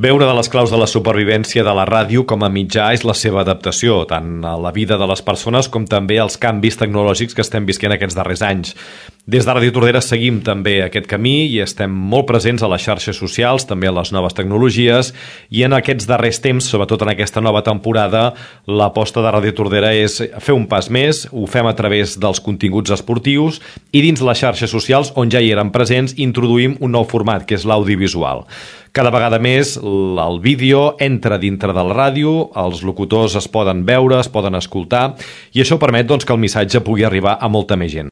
Bé, una de les claus de la supervivència de la ràdio com a mitjà és la seva adaptació, tant a la vida de les persones com també als canvis tecnològics que estem visquent aquests darrers anys. Des de Ràdio Tordera seguim també aquest camí i estem molt presents a les xarxes socials, també a les noves tecnologies, i en aquests darrers temps, sobretot en aquesta nova temporada, l'aposta de Ràdio Tordera és fer un pas més, ho fem a través dels continguts esportius i dins les xarxes socials, on ja hi eren presents, introduïm un nou format, que és l'audiovisual. Cada vegada més el vídeo entra dintre de la ràdio, els locutors es poden veure, es poden escoltar, i això permet que el missatge pugui arribar a molta més gent.